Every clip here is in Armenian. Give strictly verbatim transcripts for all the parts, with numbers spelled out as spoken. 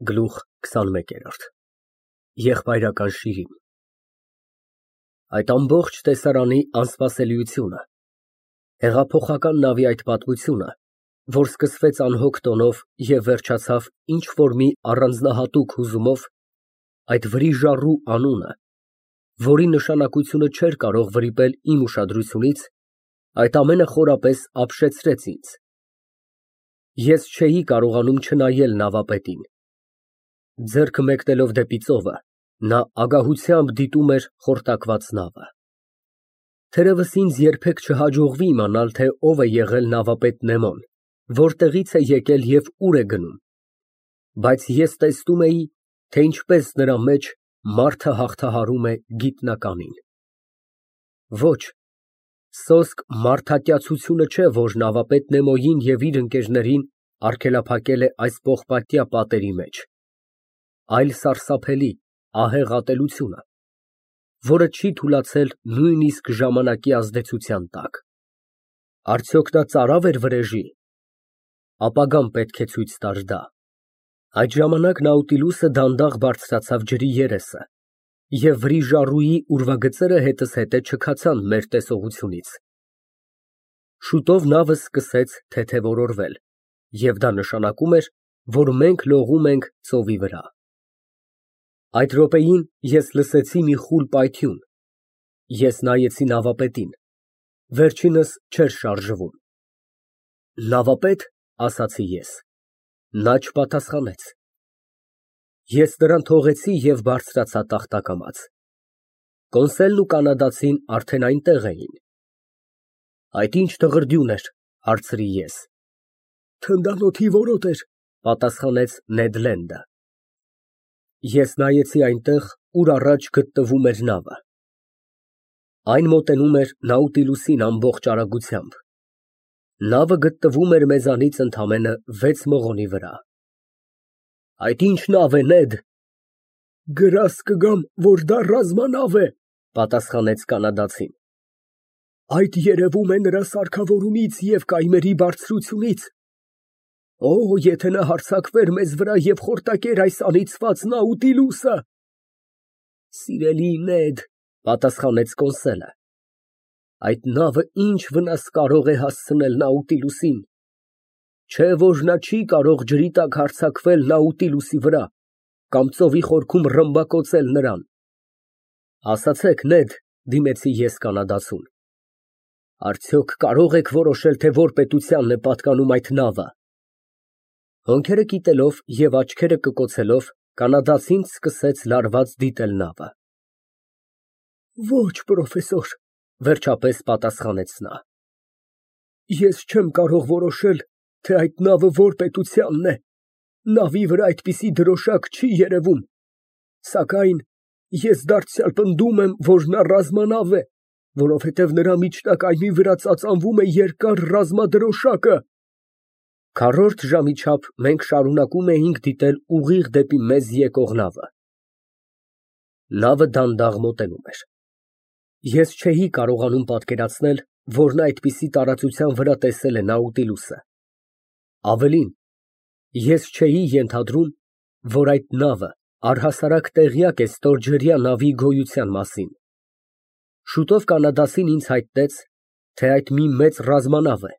Գլուխ քսանմեկ։ Եղբայրական շիրին։ Այդ ամբողջ տեսարանի անսպասելիությունը, հեղափոխական նավի այդ պատմությունը, որ սկսվեց անհոգ տոնով և վերջացավ ինչ֊որ մի առանձնահատուկ հուզումով, այդ վրիժառու անունը, որի նշանակությունը չէր կարող վրիպել իմ ուշադրությունից, այդ ամենը խորապես ապշեցրեց ինձ։ Ես չէի կարողանում չնայել նավապետին։ Ձեռքը մեկնելով դեպի ծովը, նա ագահությամբ դիտում էր խորտակված նավը։ Թերևս ինձ երբեք չհաջողվի իմանալ, թե ով է եղել նավապետ Նեմոն, որտեղից է եկել և ուր է գնում, բայց ես տեսնում էի, թե ինչպես նրա մեջ մարդը հաղթահարում է գիտնականին։ Ոչ, սոսկ մարդատյացությունը չէ, որ նավապետ Նեմոյին և իր ընկերներին արգելափակել է այս պողպատյա պատերի մեջ, այլ սարսափելի, ահեղ ատելությունը, որը չի թուլացել նույնիսկ ժամանակի ազդեցության տակ։ Արդյոք նա ծարավ էր վրեժի։ Ապագան պետք է ցույց տար դա։ Այդ ժամանակ Նաուտիլուսը դանդաղ բարձրացավ ջրի երեսը, և վրիժառուի ուրվագծերը հետզհետե չքացան մեր տեսողությունից։ Շուտով նավը սկսեց թեթևորորվել, և դա նշանակում էր, որ մենք լողում ենք ծովի վրա։ Այդ րոպեին ես լսեցի մի խուլ պայթյուն։ Ես նայեցի նավապետին, վերջինս չէր շարժվում։ Նավապե՞տ, ասացի ես։ Նա չպատասխանեց։ Ես նրան թողեցի և բարձրացա տախտակամաց։ Կոնսելն ու կանադացին արդեն այնտեղ էին։ Այդ ի՞նչ դղրդյուն էր, հարցրի ես։ Թնդանոթի որոտ էր, պատասխանեց Նեդ Լենդը։ Ես նայեցի այնտեղ, ուր առաջ գտնվում էր նավը։ Այն մոտենում էր Նաուտիլուսին ամբողջ արագությամբ։ Նավը գտնվում էր մեզանից ընդամենը վեց մղոնի վրա։ Այդ ի՞նչ նավ է, Նեդ։ Գրազ կգամ, որ դա ռազմանավ է, պատասխանեց կանադացին։ Այդ երևում է նրա սարքավորումից և կայմերի բարձրությունից։ Օ, եթե նա հարձակվեր մեզ վրա և խորտակեր այս անիծված Նաուտիլուսը։ Սիրելի Նեդ, պատասխանեց կոնսելը, այդ նավը ինչ վնաս կարող է հասցնել Նաուտիլուսին։ Չէ որ նա չի կարող ջրի տակ հարձակվել Նաուտիլուսի վրա կամ ծովի խորքում ռմբակոծել նրան։ Ասացեք, Նեդ, դիմեցի ես կանադացուն, արդյոք կարող եք որոշել, թե որ պետությանն է պատկանում այդ նավը։ Հոնքերը կիտելով և աչքերը կկոցելով, կանադացին սկսեց լարված դիտել նավը։ Ոչ, պրոֆեսոր, վերջապես պատասխանեց նա։ Ես չեմ կարող որոշել, թե այդ նավը որ պետությանն է, նավի վրա այդպիսի դրոշակ չի երևում, սակայն ես դարձյալ պնդում եմ, որ նա ռազմանավ է, որովհետև նրա միջնակայմի վրա ծածանվում է երկար ռազմադրոշակը։ Քառորդ ժամի չափ մենք շարունակում էինք դիտել ուղիղ դեպի մեզ եկող նավը։ Նավը դանդաղ մոտենում էր։ Ես չէի կարողանում պատկերացնել, որ նա այդպիսի տարածության վրա տեսել է Նաուտիլուսը։ Ավելին, ես չէի ենթադրում, որ այդ նավը առհասարակ տեղյակ է ստորջրյա նավի գոյության մասին։ Շուտով կանադասին ինձ հայտնեց, թե այդ մի մեծ ռազմանավ է,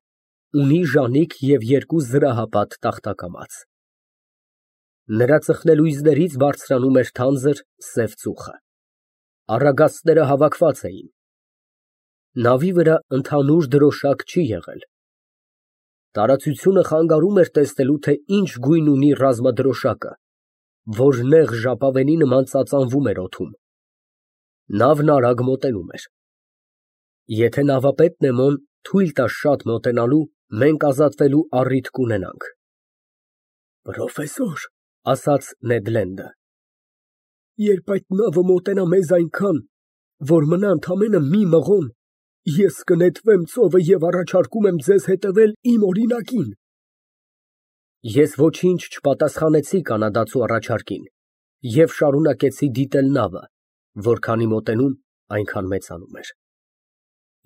ունի ժանիք և երկու զրահապատ տախտակամաց։ Նրա ծխնելույզներից բարձրանում էր թանձր սև ծուխը։ Առագաստները հավաքված էին։ Նավի վրա ընդհանուր դրոշակ չի եղել։ Տարածությունը խանգարում էր տեսնելու, թե ինչ գույն ունի ռազմադրոշակը, որ նեղ ժապավենի նման ծածանվում էր օդում։ Նավն արագ մոտենում էր։ Եթե նավապետ Նեմոն թույլ տա շատ մոտենալու, մենք ազատվելու առիթ կունենանք։ Պրոֆեսոր, ասաց Նեդ Լենդը, երբ այդ նավը մոտենա մեզ այնքան, որ մնա ընդամենը մի մղոն, ես կնետվեմ ծովը և առաջարկում եմ ձեզ հետևել իմ օրինակին։ Ես ոչինչ չպատասխանեցի կանադացու առաջարկին և շարունակեցի դիտել նավը, որքանի մոտենում, այնքան մեծանում էր։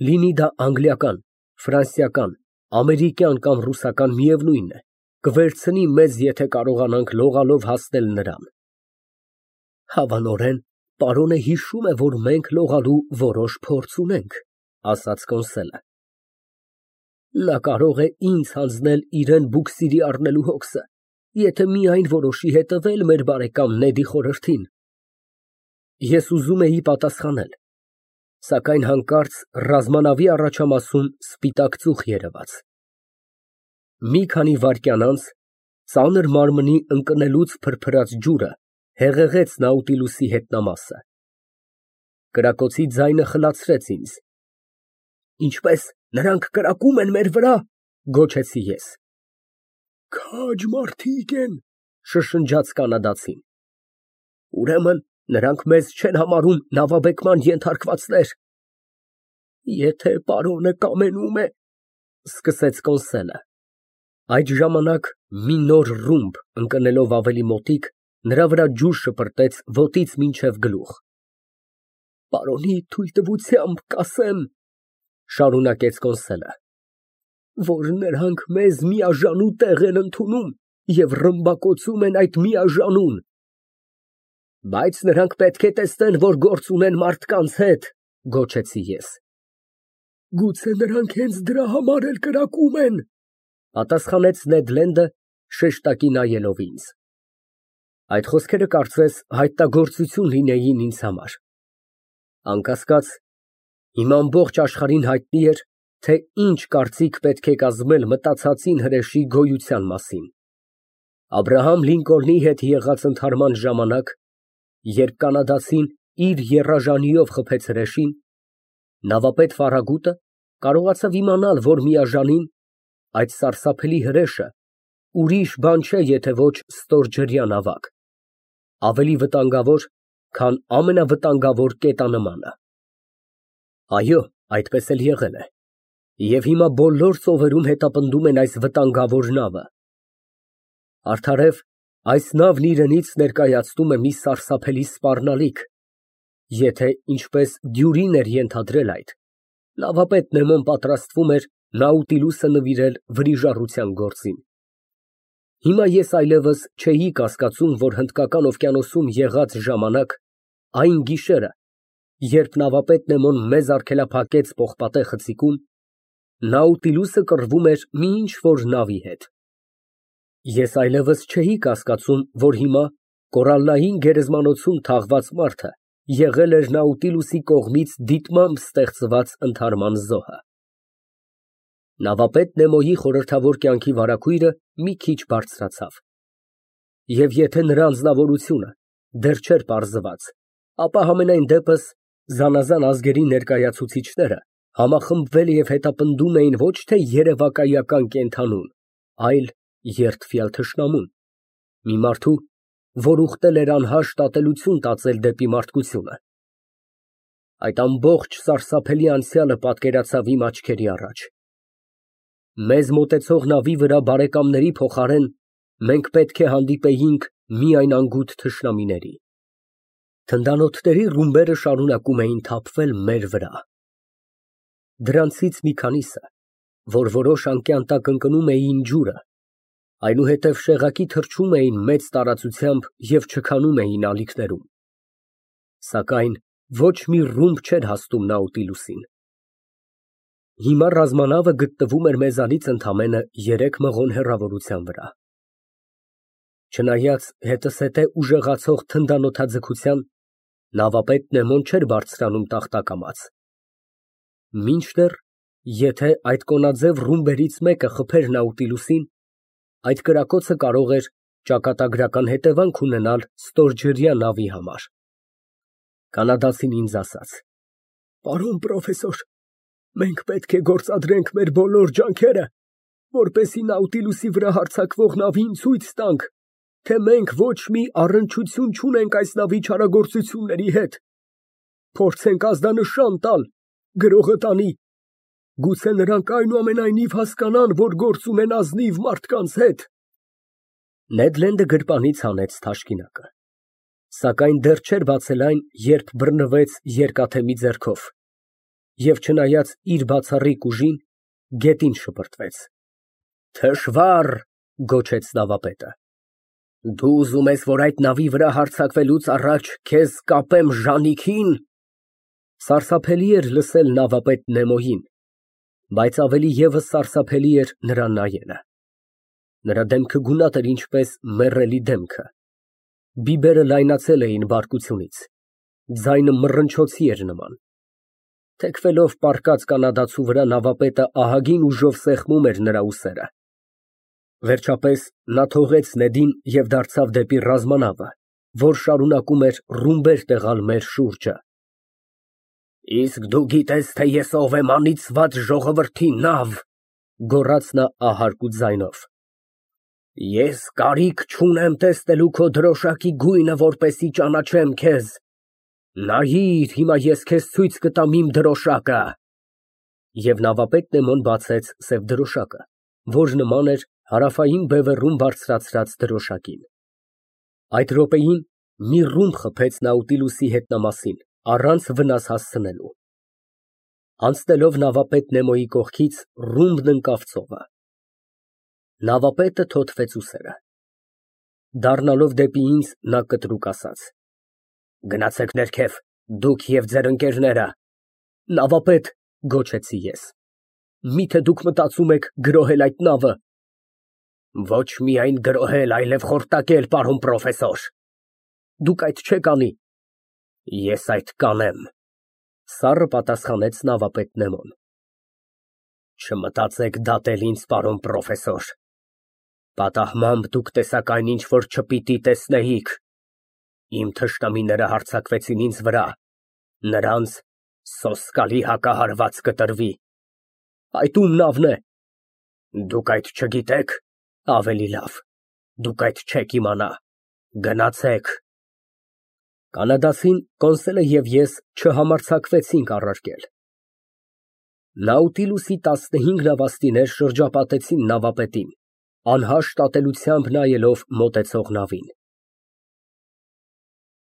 Լինի դա անգլիական, ֆրանսիական, ամերիկյան կամ ռուսական, միևնույն է, կվերցնի մեզ, եթե կարողանանք լողալով հասնել նրան։ Հավանորեն, պարոնը հիշում է, որ մենք լողալու որոշ փորձ ունենք, ասաց Կոնսելը։ Նա կարող է ինձ հանձնել իրան բուքսիրի առնելու հոգսը, եթե միայն որոշի հետևել մեր բարեկամ Նեդի խորհրդին։ Ես ուզում էի պատասխանել, սակայն հանկարծ ռազմանավի առաջամասում սպիտակ ծուխ երևաց։ Մի քանի վայրկյան անց ծանր մարմնի ընկնելուց փրփրած ջուրը հեղեղեց Նաուտիլուսի հետնամասը։ Կրակոցի ձայնը խլացրեց ինձ։ Ինչպես նրանք կրակում են մեր վրա, գոչեցի ես։ Քաջ մարդիկ են, շշնջաց կանադացին։ Ուրեմն նրանք մեզ չեն համարում նավաբեկման ենթարկվածներ։ Եթե պարոնը կամենում է, սկսեց Կոնսելը։ Այդ ժամանակ մի նոր ռումբ ընկնելով ավելի մոտիկ, նրա վրա ջուր շպրտեց ոտից մինչև գլուխ։ Պարոնի թույլտվությամբ կասեմ, շարունակեց Կոնսելը, որ նրանք մեզ միաժանու տեղ են ընդունում և ռմբակոծում են այդ միաժանուն։ Բայց նրանք պետք է տեսնեն, որ գործ ունեն մարդկանց հետ, գոչեցի ես։ Գուցե նրանք հենց դրա համար էլ կրակում են, պատասխանեց Նեդ Լենդը, շեշտակի նայելով ինձ։ Այդ խոսքերը կարծես հայտնագործություն լինեին ինձ համար։ Անկասկած, հիմա ամբողջ աշխարհին հայտնի էր, թե ինչ կարծիք պետք է կազմել մտածածին հրեշի գոյության մասին։ Աբրահամ Լինկոլնի հետ եղած ընդհարման ժամանակ, երբ կանադացին իր եռաժանիով խփեց հրեշին, նավապետ Ֆարագուտը կարողացավ իմանալ, որ միաժանին այդ սարսափելի հրեշը ուրիշ բան չէ, եթե ոչ ստորջրյա նավակ, ավելի վտանգավոր, քան ամենավտանգավոր կետանմանը։ Այո, այդպես էլ եղել է, և հիմա բոլոր ծովերում հետապնդում են այս վտանգավոր նավը։ Արդարև, այս նավն իրենից ներկայացնում է մի սարսափելի սպառնալիք, եթե, ինչպես Դյուրին էր ենթադրել այդ, նավապետ Նեմոն պատրաստվում էր Նաուտիլուսը նվիրել վրիժառության գործին։ Հիմա ես այլևս չէի կասկածում, որ Հնդկական օվկիանոսում եղած ժամանակ, այն գիշերը, երբ նավապետ Նեմոն մեզ արգելափակեց պողպատե խցիկում, Նաուտիլուսը կռվում էր մի ինչ֊որ նավի հետ։ Ես այլևս չէի կասկածում, որ հիմա կորալլային գերեզմանոցում թաղված մարդը եղել էր Նաուտիլուսի կողմից դիտմամբ ստեղծված ընդհարման զոհը։ Նավապետ Նեմոյի խորհրդավոր կյանքի վարագույրը մի քիչ բարձրացավ, և եթե նրա անձնավորությունը դեռ չէր պարզված, ապա համենայն դեպս զանազան ազգերի ներկայացուցիչները համախմբվել և հետապնդում էին ոչ թե երևակայական կենդանուն, այլ երդվյալ թշնամուն, մի մարդու, որ ուխտել էր անհաշտ ատելություն տածել դեպի մարդկությունը։ Այդ ամբողջ սարսափելի անցյալը պատկերացավ իմ աչքերի առաջ։ Մեզ մոտեցող նավի վրա բարեկամների փոխարեն մենք պետք է հանդիպեինք միայն անգութ թշնամիների։ Թնդանոթների ռումբերը շարունակում էին թափվել մեր վրա։ Դրանցից մի քանիսը, որ որոշ անկյան տակ ընկնում էին ջուրը, այնուհետև շեղակի թռչում էին մեծ տարածությամբ և չքանում էին ալիքներում։ Սակայն ոչ մի ռումբ չէր հասնում Նաուտիլուսին։ Հիմա ռազմանավը գտնվում էր մեզանից ընդամենը երեք մղոն հեռավորության վրա։ Չնայած հետզհետե ուժեղացող թնդանոթաձգության, նավապետ Նեմոն չէր բարձրանում տախտակամաց։ Մինչդեռ, եթե այդ կոնաձև ռումբերից մեկը խփեր Նաուտիլուսին, այդ կրակոցը կարող էր ճակատագրական հետևանք ունենալ ստորջրյա նավի համար։ Կանադացին ինձ ասաց. Պարոն պրոֆեսոր, մենք պետք է գործադրենք մեր բոլոր ջանքերը, որպեսզի Նաուտիլուսի վրա հարձակվող նավին ցույց տանք, թե մենք ոչ մի առնչություն չունենք այս նավի չարագործությունների հետ։ Փորձենք ազդանշան տալ, գրողը տանի, գուցե նրանք այնուամենայնիվ հասկանան, որ գործ ունեն ազնիվ մարդկանց հետ։ Նեդ Լենդը գրպանից հանեց թաշկինակը, սակայն դեռ չէր բացել այն, երբ բռնվեց երկաթեմի ձեռքով, և չնայած իր բացառիկ ուժին, գետին շպրտվեց։ Թշվառ, Գոչեց նավապետը։ Դու ուզում ես, որ այդ նավի վրա հարձակվելուց առաջ քեզ կապեմ ժանիքին։ Սարսափելի էր լսել նավապետ Նեմոյին, բայց ավելի ևս սարսափելի էր նրան նայելը։ Նրա դեմքը գունատ էր ինչպես մեռելի դեմքը, բիբերը լայնացել էին բարկությունից, ձայնը մռնչոցի էր նման։ Թեքվելով պառկած կանադացու վրա նավապետը ահագին ուժով սեղմում էր նրա ուսերը։ Վերջապես նա թողեց Նեդին և դարձավ դեպի ռազմանավը, որ շարունակում էր ռումբեր տեղալ մեր շուրջը։ Իսկ դու գիտես, թե ես ով եմ, անիծված ժողովրդի նավ, գոռաց նա ահարկ ձայնով։ Ես կարիք չունեմ տեսնելու քո դրոշակի գույնը, որպեսզի ճանաչեմ քեզ։ Նայիր, հիմա ես քեզ ցույց կտամ իմ դրոշակը։ Եվ նավապետ Նեմոն բացեց սև դրոշակը, որ նման էր հարավային բևեռում բարձրացրած դրոշակին։ Այդ րոպեին մի ռումբ խփեց Նաուտիլուսի հետնամասին, առանց վնաս հասցնելու։ Անցնելով նավապետ Նեմոյի կողքից, ռումբն ընկավ ծովը։ Նավապետը թոթվեց ուսերը։ Դառնալով դեպի ինձ, նա կտրուկ ասաց. Գնացեք ներքև, դուք և ձեր ընկերները։ Նավապետ, գոչեցի ես, միթե դուք մտածում եք գրոհել այդ նավը։ Ոչ միայն գրոհել, այլև խորտակել, պարոն պրոֆեսոր։ Դուք այդ չեք անի։ Ես այդ կանեմ, սառը պատասխանեց նավապետ Նեմոն։ Չմտածեք դատել ինձ, պարոն պրոֆեսոր։ Պատահմամբ դուք տեսաք այնինչ, որ չպիտի տեսնեիք։ Իմ թշնամիները հարձակվեցին ինձ վրա, նրանց սոսկալի հակահարված կտրվի։ Այդ ում նավն է։ Դուք այդ չգիտեք, ավելի լավ, դուք այդ չեք իմանա, գնացեք։ Կանադացին, կոնսոլը և ես չհամարձակվեցինք առարկել։ Նաուտիլուսի տասնհինգ նավաստիներ շրջապատեցին նավապետին, անհաշտ ատելությամբ նայելով մոտեցող նավին։